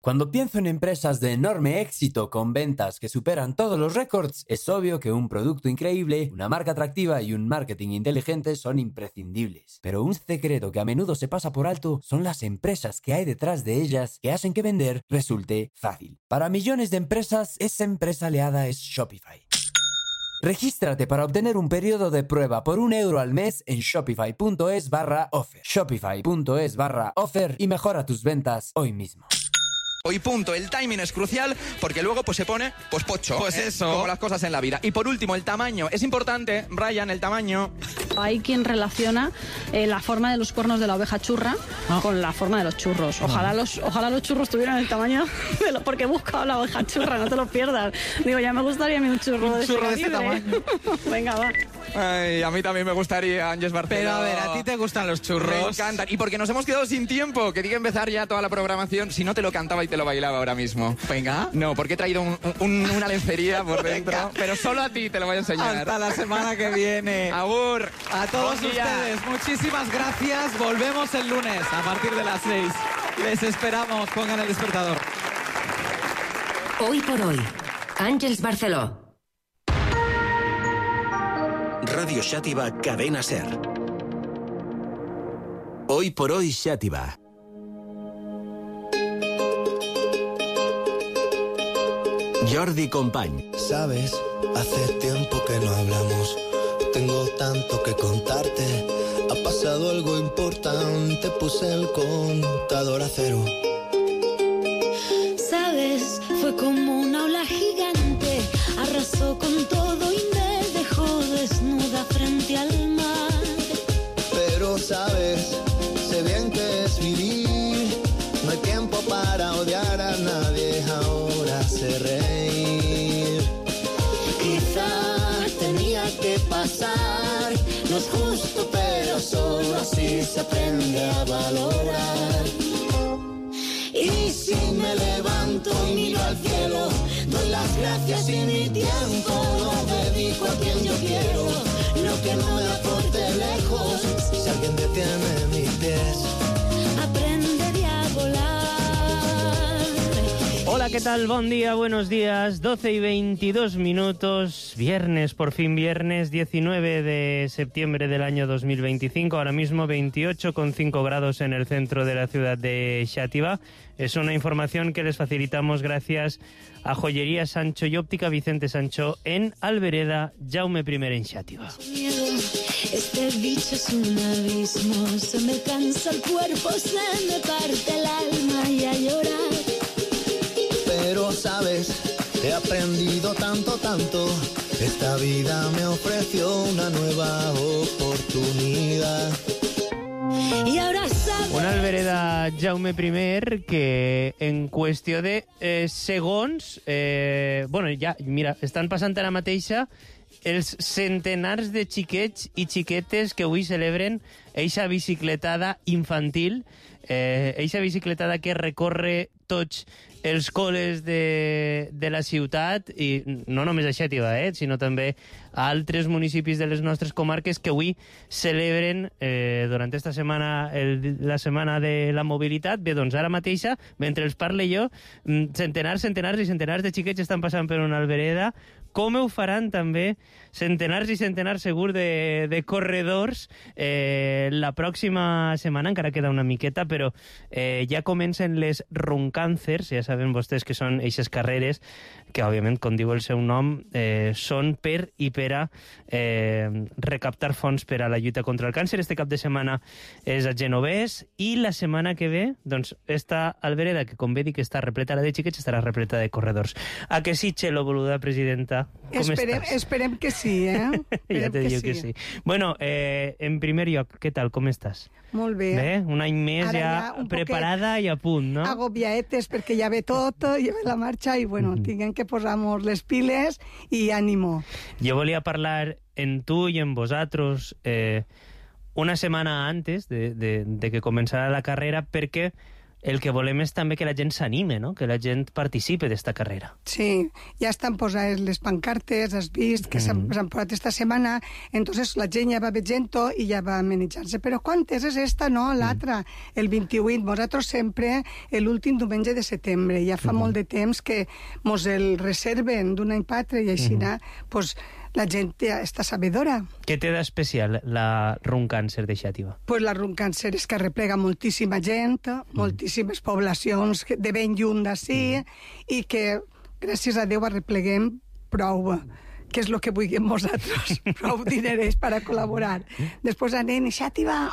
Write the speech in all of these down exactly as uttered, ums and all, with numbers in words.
Cuando pienso en empresas de enorme éxito con ventas que superan todos los récords, es obvio que un producto increíble, una marca atractiva y un marketing inteligente son imprescindibles. Pero un secreto que a menudo se pasa por alto son las empresas que hay detrás de ellas que hacen que vender resulte fácil. Para millones de empresas, esa empresa aliada es Shopify. Regístrate para obtener un periodo de prueba por un euro al mes en shopify.es barra offer. Shopify.es barra offer y mejora tus ventas hoy mismo. Hoy punto, el timing es crucial porque luego pues se pone pues pocho, pues ¿eh? eso, como las cosas en la vida. Y por último, el tamaño, es importante, Ryan, el tamaño. Hay quien relaciona eh, la forma de los cuernos de la oveja churra no. con la forma de los churros. Ojalá los, ojalá los churros tuvieran el tamaño de lo, porque he buscado la oveja churra, no te lo pierdas. Digo, ya me gustaría a mí un churro un de churro este de este tamaño. Venga, va. Ay, a mí también me gustaría, Ángeles Barceló. Pero a ver, ¿a ti te gustan los churros? Me encantan. Y porque nos hemos quedado sin tiempo, quería empezar ya toda la programación. Si no te lo cantaba y te lo bailaba ahora mismo. Venga. No, porque he traído un, un, una lencería por dentro. Venga. Pero solo a ti te lo voy a enseñar. Hasta la semana que viene. Agur. A todos ustedes, muchísimas gracias. Volvemos el lunes a partir de las seis. Les esperamos. Pongan el despertador. Hoy por hoy, Ángeles Barceló. Radio Xàtiva, Cadena Ser. Hoy por hoy, Xàtiva. Jordi Company. Sabes, hace tiempo que no hablamos. Tengo tanto que contarte. Ha pasado algo importante. Puse el contador a cero. Sabes, fue como una ola gigante. Arrasó con todo y me dejó desnuda frente al mar. Pero sabes, sé bien que es vivir. No hay tiempo para odiar a nadie. Ahora sé reír. Quizá tenía que pasar. No es justo, pero solo así se aprende a valorar. Y si me levanto y miro al cielo, doy las gracias y mi tiempo lo dedico a quien yo quiero. Lo que no me aporte lejos. Si alguien detiene mis pies, aprendería a volar. Hola, ¿qué tal? Buen día, buenos días. doce y veintidós minutos. Viernes, por fin viernes, diecinueve de septiembre del año dos mil veinticinco. Ahora mismo veintiocho coma cinco grados en el centro de la ciudad de Xàtiva. Es una información que les facilitamos gracias a Joyería Sancho y Óptica Vicente Sancho en Albereda, Jaume primero en Xàtiva. Este bicho es un abismo. Se me cansa el cuerpo, se me parte el alma y a llorar. Pero sabes, he aprendido tanto, tanto. Esta vida me ofreció una nueva oportunidad. Y ahora sabes... Una Albereda Jaume primer que en qüestió de eh, segons... Eh, bueno, ja, mira, estan passant ara mateixa els centenars de xiquets i xiquetes que avui celebren eixa bicicletada infantil, eh, eixa bicicletada que recorre tots els col·les de, de la ciutat, i no només a Xàtiva, eh, sinó també a altres municipis de les nostres comarques que avui celebren eh, durant esta setmana el, la setmana de la mobilitat. Bé, doncs ara mateixa, mentre els parle jo, centenars, centenars i centenars de xiquets estan passant per una albereda. Com ho faran també centenars i centenars segur de, de corredors eh, la pròxima setmana, encara queda una miqueta, però eh, ja comencen les Runcàncers, ja saben vostès que són eixes carreres que, òbviament, com diu el seu nom, eh, són per i per a eh, recaptar fons per a la lluita contra el càncer. Este cap de setmana és a Genovés i la setmana que ve, doncs, esta albereda, que com bé dic està repleta de xiquets, estarà repleta de corredors. A que sí, Txelo, boluda presidenta? Com esperem, estàs? esperem que sí, eh? Ja te dic que sí. Bueno, eh, en primer lloc, què tal, com estàs? Molt bé. Bé, un any més Ara ja, ja preparada i a punt, no? Agobiaetes, perquè ja ve tot, ja ve la marxa i, bueno, mm-hmm. tinguem que posar-nos les piles i ànimo. Jo volia parlar en tu i en vosaltres eh, una setmana antes de, de, de que començara la carrera, perquè el que volem és també que la gent s'anime, no? Que la gent participe d'esta carrera. Sí, ja estan posades les pancartes, has vist, que s'han Mm. posat esta setmana, entonces la gent ja va veient-ho i ja va manejar-se. Però quantes és esta, no? L'altra, el vint-i-vuit. Nosaltres sempre l'últim diumenge de setembre. Ja fa Mhm. molt de temps que mos el reserven d'un any patre i així, Mhm. pues, la gent ja està sabedora. Què té d'especial la Run Càncer de Xàtiva? Pues la Run Càncer és que arreplega moltíssima gent, moltíssimes poblacions que- de ben lluny d'ací, i que, gràcies a Déu, arrepleguem prou, que és el que vulguem nosaltres, prou dinerers per a col·laborar. Després anem, i Xàtiva,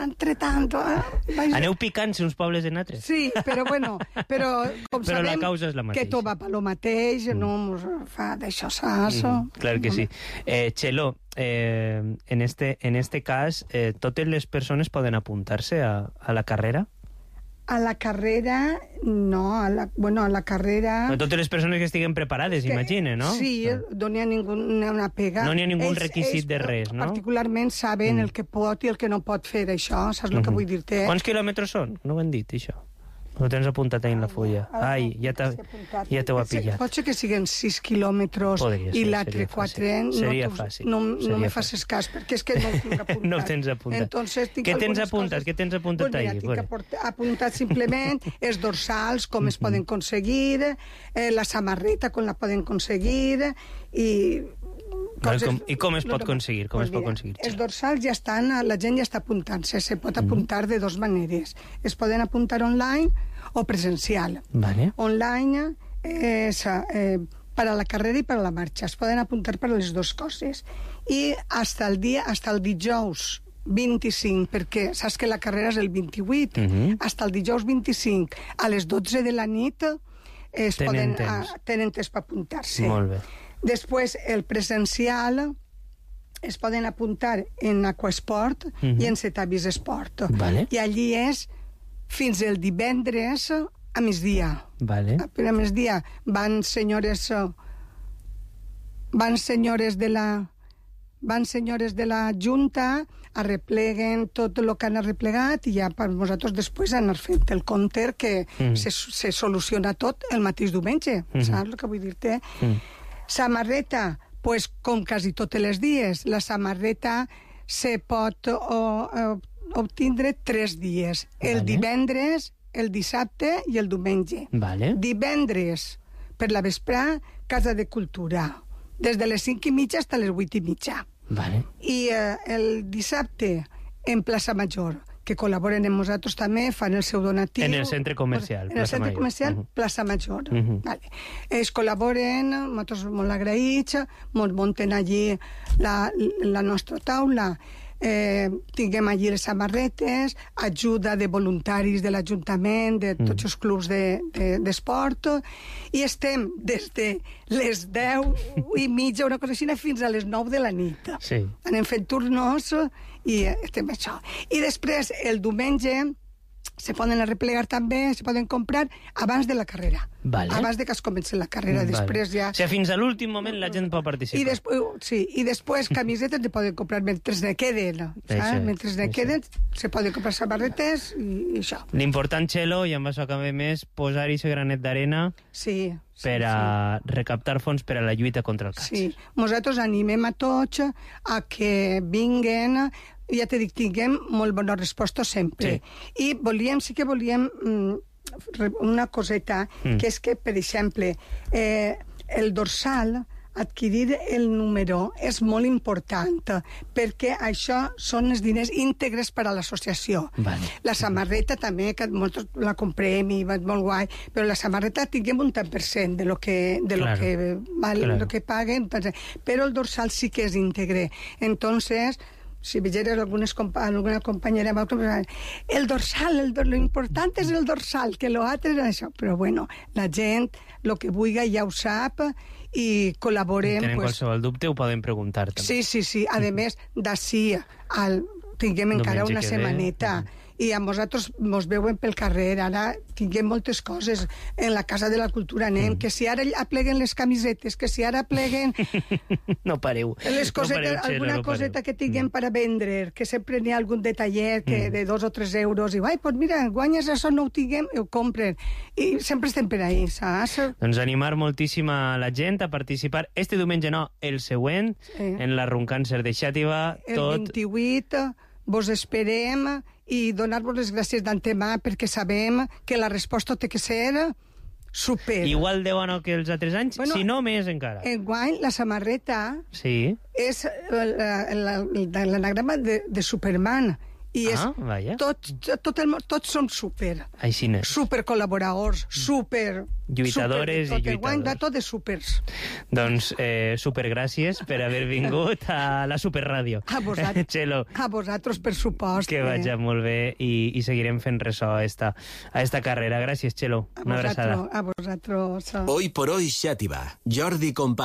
entre tant... Eh? Aneu picant-se uns pobles en altres? Sí, però bueno, però com Però la sabem causa és la que mateixa. tot va per lo mateix, no mos fa d'això sasso. Mm, clar que sí. Eh, Txelo, eh, en, este, en este cas, eh, totes les persones poden apuntar-se a, a la carrera? A la carrera, no, a la, bueno, a la carrera... No, totes les persones que estiguen preparades, imagine, no? Sí, no n'hi ha ninguna una pega. No n'hi ha ningú Ells- requisit ells de res, no? Particularment saben Mm. el que pot i el que no pot fer això, saps el que Mhm. vull dir-te? Quants quilòmetres són? No ho hem dit, això. Ho tens apuntat ahí en la fulla. Ai, ja t'ha- ja t'ho ha pillat. Pot ser que siguen sis quilòmetres Podria i ser, l'altre seria quatre... fàcil. Seria no, fàcil, No, no seria me fàcil. facis cas, perquè és que no ho tinc apuntat. No ho tens apuntat. Entonces, tinc Què tens algunes apuntat? coses- Què tens apuntat pues mira, ahí? tinc Bueno. aport- apuntat simplement els dorsals, com es poden aconseguir, eh, la samarreta, com la poden aconseguir, i... Vale, com, I com es pot aconseguir? Com Pues es pot mira, aconseguir? els dorsals ja estan, la gent ja està apuntant-se. Se pot apuntar de dues maneres. Es poden apuntar online o presencial. Vale. Online és eh, per a la carrera i per a la marxa. Es poden apuntar per a les dues coses. I hasta el dia, hasta el dijous vint-i-cinc, perquè saps que la carrera és el vint-i-vuit, Mhm. hasta el dijous vint-i-cinc a les dotze de la nit es Tenen poden, temps. ah, tenen temps per apuntar-se. Molt bé. Després, el presencial es poden apuntar en Aquasport Mhm. i en Cetavis Esport. Vale. I allí és fins el divendres a migdia. Vale. A migdia van senyores eh, van senyores de la van senyores de la Junta, arrepleguen tot el que han arreplegat i ja per nosaltres després anar fent el compte que Mm. se, se soluciona tot el mateix diumenge. Mhm. Saps el que vull dir-te? Mm. Samarreta, pues, com quasi tots els dies, la samarreta se pot o, o, obtindre tres dies. El Vale. divendres, el dissabte i el diumenge. Vale. Divendres, per la vesprà, Casa de Cultura. Des de les cinc i mitja fins a les vuit i mitja. Vale. I eh, el dissabte, en Plaça Major, que col·laboren amb nosaltres també, fan el seu donatiu. En el centre comercial, En el Plaça centre Major. comercial, Mhm. Plaça Major. Mhm. Vale. Ells col·laboren, nosaltres molt agraïts, ens munten allí la, la nostra taula, eh, tinguem allí les samarretes, ajuda de voluntaris de l'Ajuntament, de tots els clubs de- de- d'esport, de, i estem des de les deu i mitja, una cosa així, fins a les nou de la nit. Sí. Anem fent turnos i estem això. I després, el diumenge, se poden arreplegar també, se poden comprar abans de la carrera. Vale. Abans de que es comenci la carrera. Vale. Després ja... O sigui, fins a l'últim moment la gent pot participar. I després, sí, i després camisetes se poden comprar mentre ne queden. Això, Saps? Mentre ne això. queden, se poden comprar samarretes i, i això. L'important, Txelo, i amb això acabem, és posar-hi aquest granet d'arena Sí. sí per a recaptar fons per a la lluita contra el càncer. Sí, nosaltres animem a tots a que vinguen, ja t'he dit, tinguem molt bona resposta sempre. Sí. I volíem, sí que volíem mm, re- una coseta, Mm. que és que, per exemple, eh, el dorsal, adquirir el número és molt important, perquè això són els diners íntegres per a l'associació. Vale. La samarreta també, que molts la comprem i va molt guai, però la samarreta tinguem un tant per cent de lo que, de lo Claro. que, val, Claro. lo que paguen, però el dorsal sí que és íntegre. Entonces, si veieres algunes, compa alguna compañera, el dorsal, el do lo important és el dorsal, que lo altre és això. Però bueno, la gent, lo que vulgui ja ho sap i col·laborem. Tenen pues, qualsevol dubte, ho poden preguntar també. Sí, sí, sí. A més, d'ací al tinguem encara Diumenge una que ve. setmaneta i a nosaltres mos veuen pel carrer. Ara tinguem moltes coses. En la Casa de la Cultura anem, mm. que si ara apleguen les camisetes, que si ara apleguen... no pareu. Les cosetes, no pareu, alguna no coseta pareu. que tinguem mm. per a vendre, que sempre n'hi ha algun detallet que Mm. de dos o tres euros, i ai, pues mira, guanyes això, no ho tinguem, i ho compren. I sempre estem per ahí, saps? Doncs animar moltíssim a la gent a participar este diumenge, no, el següent, Sí. en la Runcàncer de Xàtiva. El tot... vint-i-vuit vos esperem i donar-vos les gràcies d'antemà perquè sabem que la resposta té que ser super. Igual de bona que els altres anys, Bueno, si no més encara. Enguany, la samarreta Sí. és la- la- la- l'anagrama de, de Superman. I és, Ah, vaja. tots, tot el, món- tots som super. Així n'és. Super col·laboradors, super... Lluitadores super, i tot, enguany de lluitadors. tot de supers. Doncs eh, supergràcies per haver vingut a la Superràdio. A vosaltres, Txelo, a vosaltres per supost. que vagi molt bé i, i seguirem fent ressò a esta, a esta carrera. Gràcies, Txelo. A Una abraçada. vosaltres, a vosaltres. Hoy por hoy Xàtiva. Jordi Company.